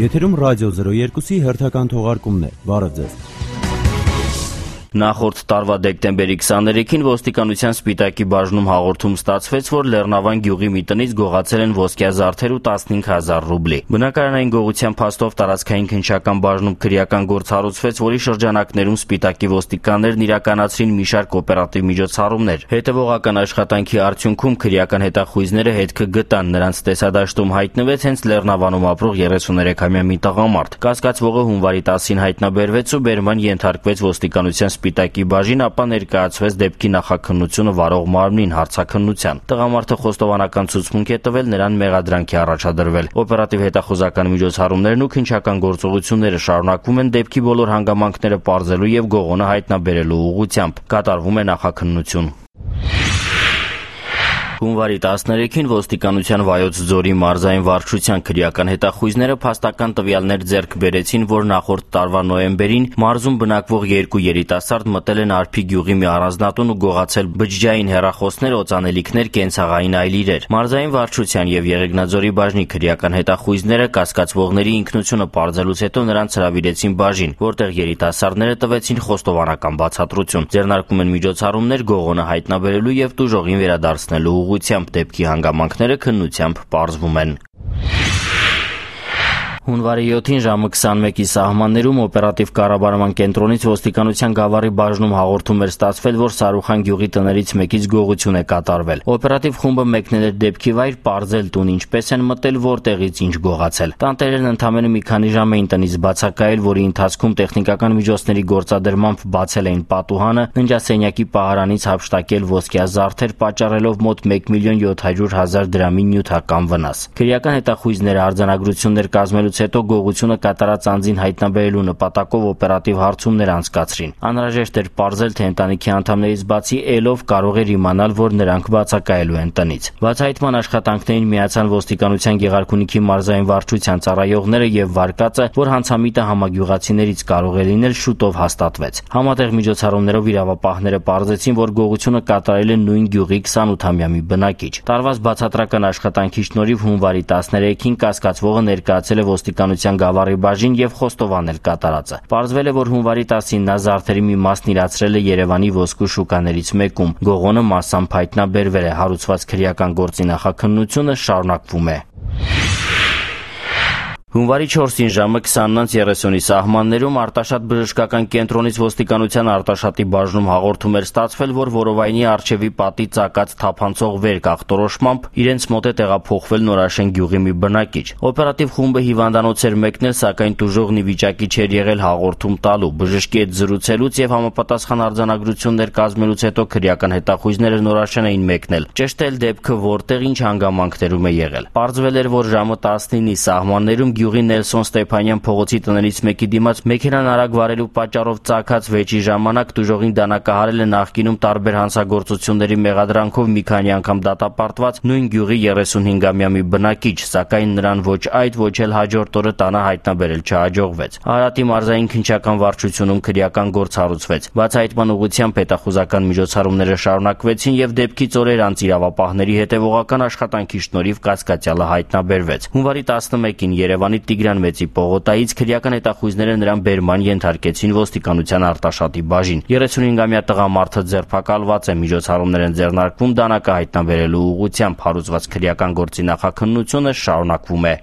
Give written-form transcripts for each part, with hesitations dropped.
Եթերում ռադիո 02-ի հերթական թողարկումն է։ Բարև ձեզ։ Նախորդ տարվա դեկտեմբերի 23-ին ոստիկանության Սպիտակի բաժնում հաղորդում ստացվեց, որ Լեռնավան գյուղի մի տնից գողացել են ոսկյա զարդեր ու 15,000 ռուբլի։ Բնակարանային գողության փաստով տարածքային քննչական բաժնում քրեական գործ հարուցվեց, որի շրջանակներում Սպիտակի ոստիկաններն իրականացրին մի շարք օպերատիվ միջոցառումներ։ Հետևողական աշխատանքի արդյունքում քրեական հետախույզները հետքը գտան, նրանց տեսադաշտում հայտնվեց հենց Լեռնավանում ապրող 33-ամյա մի տղամարդ։ Կասկածվողը հունվարի 10-ին հայտնաբերվեց ու բերման ենթարկվեց ոստիկանության Սպիտակի բաժին, ապա ներկայացվեց դեպքի նախաքննությունը վարող մարմնին հարցաքննության։ Տղամարդը խոստովանական ցուցմունք է տվել, նրան մեղադրանք է առաջադրվել։ Օպերատիվ հետախուզական միջոցառումներն ու քննչական գործողությունները շարունակվում են դեպքի բոլոր հանգամանքները պարզելու եւ գողոնը հայտնաբերելու ուղղությամբ։ Կատարվում է նախաքննություն։ Հունվարի 13-ին ոստիկանության Վայոց ձորի մարզային վարչության քրեական հետախույզները փաստական տվյալներ ձեռք բերեցին, որ նախորդ տարվա նոյեմբերին մարզում բնակվող 2 երիտասարդ մտել են Արփի գյուղի մի առանձնատուն ու գողացել բջջային հեռախոսներ, օծանելիքներ, կենցաղային այլ իրեր։ Մարզային վարչության եւ Եղեգնաձորի բաժնի քրեական հետախույզները կասկածվողների ինքնությունը պարզելուց հետո նրանց հրավիրեցին բաժին, որտեղ երիտասարդները տվեցին խոստովանական բացատրություն։ Ձեռնարկում են միջոցառումներ գողոնը հայտնաբերելու եւ տուժողին վերադարձնելու ուղղությամբ, դեպքի հանգամանքները քննությամբ պարզվում են։ Հունվարի 7-ին ժամը 21-ի սահմաններում օպերատիվ կառավարման կենտրոնից ոստիկանության Գավառի բաժնում հաղորդում էր ստացվել, որ Սարուխան գյուղի տներից մեկից գողություն է կատարվել։ Օպերատիվ խումբը մեկնել էր դեպքի վայր, պարզել տուն ինչպես են մտել, որտեղից ինչ գողացել։ Տանտերերն ընդամենը մի քանի ժամ էին տնից բացակայել, որի ընթացքում տեխնիկական միջոցների գործադրմամբ բացել էին պատուհանը, ննջասենյակի պահարանից հափշտակել ոսկյա զարդեր, պատճառելով մոտ 1,700,000 դրամի նյութական վնաս։ Քրեական հետախույզները արձանագրություններ կազմելուց հետո գողությունը կատարած անձին հայտնաբերելու նպատակով օպերատիվ հարցումներ անցկացրին։ Անհրաժեշտ էր պարզել, թե ընտանիքի անդամներից բացի ելով կարող էր իմանալ, որ նրանք բացակայելու են տնից։ Բացահայտման աշխատանքներին միացան ոստիկանության Գեղարքունիքի մարզային վարչության ծառայողները եւ վարկածը, որ հանցամիտը համագյուղացիներից կարող է լինել, շուտով հաստատվեց։ Համատեղ միջոցառումներով իրավապահները պարզեցին, որ գողությունը կատարել է նույն գյուղի 28-ամյա մի բնակիչ։ Տարված բացատրական աշխատանքի շնորհիվ հունվարի 13-ին կասկածվողը ներկայացել է ոստիկանության Գավառի բաժին եւ խոստովանել կատարածը։ Պարզվել է, որ հունվարի 10-ին նա զարդերի մի մասն իրացրել է Երևանի ոսկու շուկաներից մեկում։ Գողոնը մասամբ հայտնաբերվել է, հարուցված քրեական գործի նախաքննությունը շարունակվում է։ Հունվարի 4-ին ժամը 20:30-ի սահմաններում Արտաշատ բժշկական կենտրոնից ոստիկանության Արտաշատի բաժնում հաղորդում էր ստացվել, որ Որովայնի առջևի պատի ծակած թափանցող վերք ախտորոշմամբ իրենց մոտ է տեղափոխվել Նորաշեն գյուղի մի բնակիչ։ Օպերատիվ խումբը հիվանդանոց էր մեկնել, սակայն տուժողն ի վիճակի չէր եղել հաղորդում տալու։ Բժշկի հետ զրուցելուց եւ համապատասխան արձանագրություններ կազմելուց հետո քրեական հետախույզները Նորաշեն էին մեկնել։ Ճշտել դեպքը որտեղ ինչ հանգամանքներում է եղել։ Պարզվել էր, որ ժամը 19-ի սահմաններում գյուղի Նելսոն Ստեփանյան փողոցի տներից մեկի դիմաց մեքենան արագ վարելու պատճառով ծագած վեճի ժամանակ տուժողին դանակահարել է նախկինում տարբեր հանցագործությունների մեղադրանքով մի քանի անգամ դատապարտված նույն գյուղի 35-ամյա մի բնակիչ, սակայն նրան ոչ այդ, ոչ էլ հաջորդ օրը տանը հայտնաբերել չհաջողվեց։ Արարատի մարզային քննչական վարչությունում քրեական գործ հարուցվեց։ Բացահայտման ուղղությամբ հետախուզական միջոցառումները շարունակվեցին եւ դեպքից օրեր անց իրավապահների հետևողական աշխատանքի շնորհիվ կասկածյալը հայտնաբերվեց։ Հունվարի 11-ին Երևանի Տիգրան Մեծի պողոտայից քրեական հետախույզները նրան բերման ենթարկեցին ոստիկանության Արտաշատի բաժին։ 35-ամյա տղամարդը ձերբակալված է, միջոցառումներ են ձեռնարկվում դանակը հայտնաբերելու ուղղությամբ, հարուցված քրեական գործի նախաքննությունը շարունակվում է։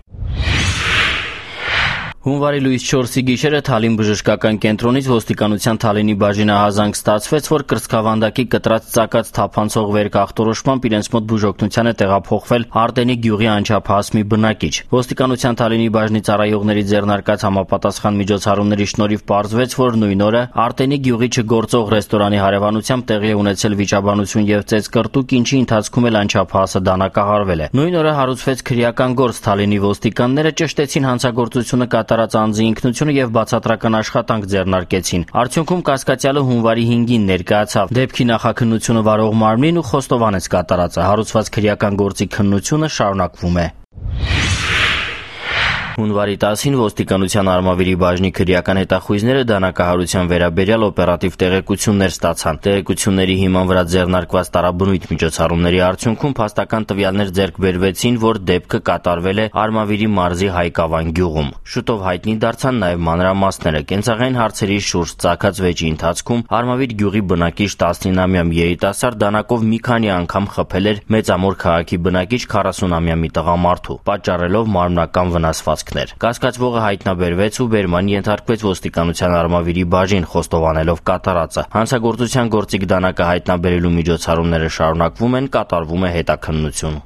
Հունվարի լույս 4-ի գիշերը Թալին բժշկական կենտրոնից ոստիկանության Թալինի բաժինահազանգ ստացվեց, որ կրծքավանդակի կտրած ծակած թափանցող վերք ախտորոշմամբ իրենց մոտ բուժօգնության է տեղափոխվել Արտենի գյուղի անչափահաս մի բնակիչ։ Ոստիկանության Թալինի բաժնի ծառայողների ձեռնարկած համապատասխան միջոցառումների շնորհիվ պարզվեց, որ նույն օրը Արտենի գյուղի չգործող ռեստորանի հարևանությամբ տեղի է ունեցել վիճաբանություն եւ ծեծկռտուք, ինչի ընթացքում էլ անչափահասը դանակահարվել է։ Նույն օրը հարուցվեց քրեական գործ, Թալինի ոստիկանները ճշտեցին հանցագործությունը կատարած անձի ինքնությունը եւ բացատրական աշխատանք ձեռնարկեցին։ Արդյունքում կասկածյալը հունվարի 5-ին ներկայացավ դեպքի նախաքննությունը վարող մարմնին ու խոստովանեց կատարածը։ Հարուցված քրեական գործի քննությունը շարունակվում է։ Հունվարի 10-ին ոստիկանության Արմավիրի բաժնի քրեական հետախույզները դանակահարության վերաբերյալ օպերատիվ տեղեկություններ ստացան։ Տեղեկությունների հիման վրա ձեռնարկված տարաբնույթ միջոցառումների արդյունքում փաստական տվյալներ ձեռք բերվեցին, որ դեպքը կատարվել է Արմավիրի մարզի Հայկավան գյուղում։ Շուտով հայտնի դարձան նաև մանրամասները։ Կենցաղային հարցերի շուրջ ծագած վեճի ընթացքում Արմավիր գյուղի բնակիչ 19-ամյա երիտասարդ դանակով մի քանի անգամ խփել էր Մեծամոր քաղաքի բնակիչ 40-ամյա մի տղամարդու, պատճառելով մարմնական վնասվածքներ։ Կասկածվողը հայտնաբերվեց ու բերման ենթարկվեց ոստիկանության Արմավիրի բաժին, խոստովանելով կատարածը։ Հանցագործության գործիք դանակը հայտնաբերելու միջոցառումները շարունակվում են, կատարվում է հետաքննություն։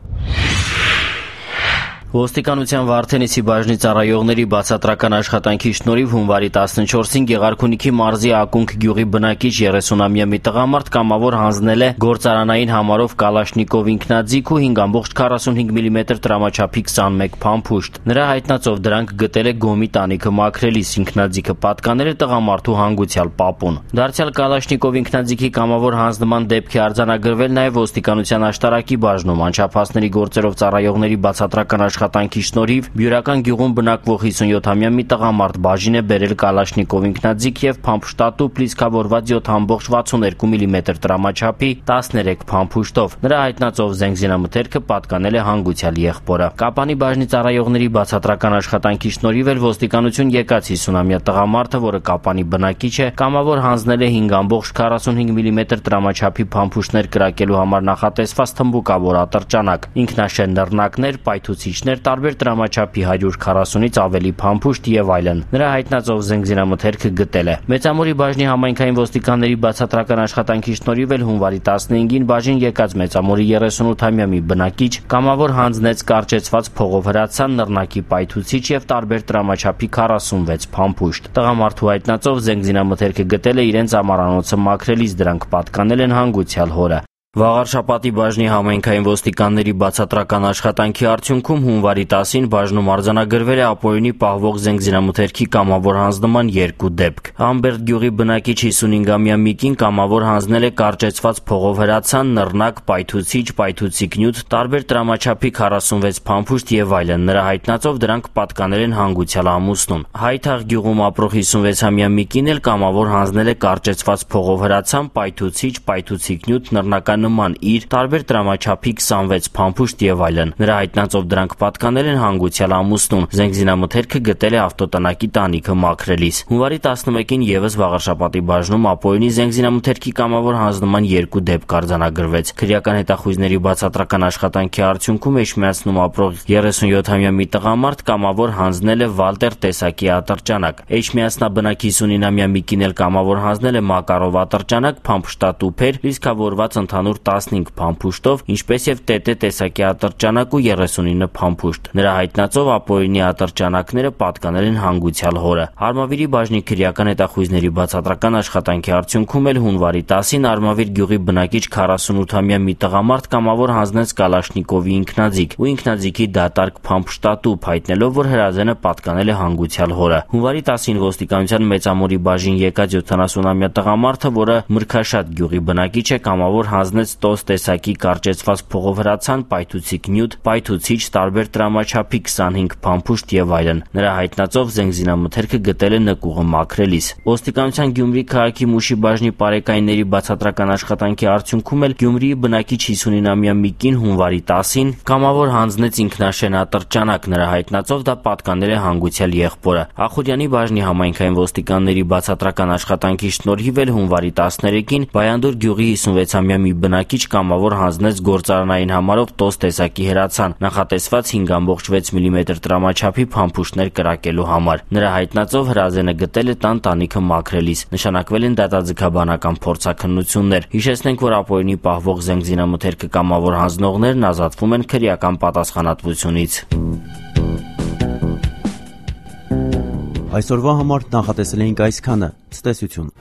Ոստիկանության Վարդենիսի բաժնի ծառայողների բացատրական աշխատանքի շնորհիվ հունվարի 14-ին Գեղարքունիքի մարզի Ակունք գյուղի բնակիչ 30-ամյա մի տղամարդ կամավոր հանձնել է գործարանային համարով Կալաշնիկով ինքնաձիգ ու 5.45 մմ տրամաչափի 21 փամփուշտ։ Նրա հայտնածով դրանք գտել է գոմի տանիքը մաքրելիս, ինքնաձիգը պատկանել է տղամարդու հանգուցյալ պապուն։ Դարձյալ Կալաշնիկով ինքնաձիգի կամավոր հանձնման դեպքի արձանագրվել նաև ոստիկանության աշտարակի բաժնում, անչափահասների գործերով ծառայողների բացատրական աշխատանքի շնորհիվ Բյուրական գյուղում բնակվող 57-ամյա մի տղամարդ բաժին է բերել Կալաշնիկով ինքնաձիգ եւ փամփշտատու պլիսկավորված 7.62 մմ տրամաչափի 13 փամփուշտով։ Նրա հայտնածով զենգզինամթերքը պատկանել է հանգուցյալ եղբորը։ Կապանի բաժնի ծառայողների բացատրական աշխատանքի շնորհիվ էլ ոստիկանություն եկած 50-ամյա տղամարդը, որը Կապանի բնակիչ է, կամավոր հանձնել է 5.45 մմ տրամաչափի փամփուշտներ կրակելու համար նախատեսված թմբուկավոր ատրճանակ, ինքնաշեն նռնակներ, պայթուցիչներ, տարբեր տրամաչափի 140-ից ավելի փամփուշտ եւ այլն։ Նրա հայտնածով զենգզինամթերքը գտել է։ Մեծամորի բաժնի համայնքային ոստիկանների բացատրական աշխատանքի շնորհիվ էլ հունվարի 15-ին բաժին եկած Մեծամորի 38-ամյա մի բնակիչ կամավոր հանձնեց կարճեցված փողով հրացան, նռնակի պայթուցիչ եւ տարբեր տրամաչափի 46 փամփուշտ։ Տղամարդու հայտնածով զենգզինամթերքը գտել է իրենց ամառանոցը մաքրելիս, դրանք պատկանել են հանգուցյալ հորը։ Վաղարշապատի բաժնի համայնքային ոստիկանների բացատրական աշխատանքի արդյունքում հունվարի 10-ին բաժնում արձանագրվել է ապօրինի պահվող զենգզինամթերքի կամավոր հանձնման 2 դեպք։ Ամբերտ գյուղի բնակիչ 55-ամյա Միկին կամավոր հանձնել է կարճեցված փողով հրացան, նռնակ, պայթուցիչ, պայթուցիկ նյութ, տարբեր տրամաչափի 46 փամփուշտ եւ այլն։ Նրա հայտնածով դրանք պատկանել են հանգուցյալ ամուսնուն։ Հայթաղ գյուղում ապրող 56-ամյա Միկին էլ կամավոր հանձնել է կարճեցված փողով հրացան, պայթուցիչ, պայթուցիկ նյութ, նռնական նման իր տարբեր տրամաչափի 26 փամփուշտ եւ այլն։ Նրա հայտնածով դրանք պատկանել են հանգուցյալ ամուսնուն։ Զենգզինամթերքը գտել է ավտոտնակի տանիքը մաքրելիս։ Հունվարի 11-ին եւս Վաղարշապատի բաժնում ապօրինի զենգզինամթերքի կամավոր հանձնման 2 դեպք արձանագրվեց։ Քրեական հետախույզների բացատրական աշխատանքի արդյունքում Էջմիածնում ապրող 37-ամյա մի տղամարդ կամավոր հանձնել է Վալտեր տեսակի ատրճանակ։ Էջմիածնաբնակ 59-ամյա Միկին էլ կամավոր հանձնել է Մակարով ատրճանակ, փամփշտատուփեր, լիսկավորված ընդհանուր 15 փամփուշտով, ինչպես եւ ՏՏ տեսակի ատրճանակ ու 39 փամփուշտ։ Նրա հայտնածով ապօրինի ատրճանակները պատկանել են հանգուցյալ հորը։ Արմավիրի բաժնի քրեական հետախույզների բացատրական աշխատանքի արդյունքում էլ հունվարի 10-ին Արմավիր գյուղի բնակիչ 48-ամյա մի տղամարդ կամավոր հանձնեց Կալաշնիկովի ինքնաձիգ ու ինքնաձիգի դատարկ փամփշտատուփ, հայտնելով, որ հրազենը պատկանել է հանգուցյալ հորը։ Հունվարի 10-ին ոստիկանության Մեծամորի բաժին եկած 70-ամյա տղամարդը, որը Մրգաշատ գյուղի բնակիչ է, կամավոր հանձնեց տոս տեսակի կարճեցված փողով հրացան, պայթուցիկ նյութ, պայթուցիչ, տարբեր տրամաչափի 25 փամփուշտ եւ այլն։ Նրա հայտնածով զենգզինամթերքը գտել է նկուղը մաքրելիս։ Ոստիկանության Գյումրի քաղաքի Մուշի բաժնի պարեկայինների բացատրական աշխատանքի արդյունքում էլ Գյումրիի բնակիչ 59-ամյա Միկին հունվարի 10-ին կամավոր հանձնեց ինքնաշեն ատրճանակ։ Նրա հայտնածով դա պատկանել է հանգուցյալ եղբորը։ Ախուրյանի բաժնի համայնքային ոստիկանների բացատրական աշխատանքի շնորհիվ էլ հունվարի 13-ին Բայանդուր գյուղի 56-ամյա մի բնակիչ կամավոր հանձնեց գործարանային համարով տոս տեսակի հրացան, նախատեսված 5.6 մմ տրամաչափի փամփուշտներ կրակելու համար։ Նրա հայտնածով հրազենը գտել է տան տանիքը մաքրելիս։ Նշանակվել են դատաձգաբանական փորձաքննություններ։ Հիշեցնենք, որ ապօրինի պահվող զենգզինամթերքը կամավոր հանձնողներն ազատվում են քրեական պատասխանատվությունից։ Այսօրվա համար նախատեսել էինք այսքանը։ Ցտեսություն։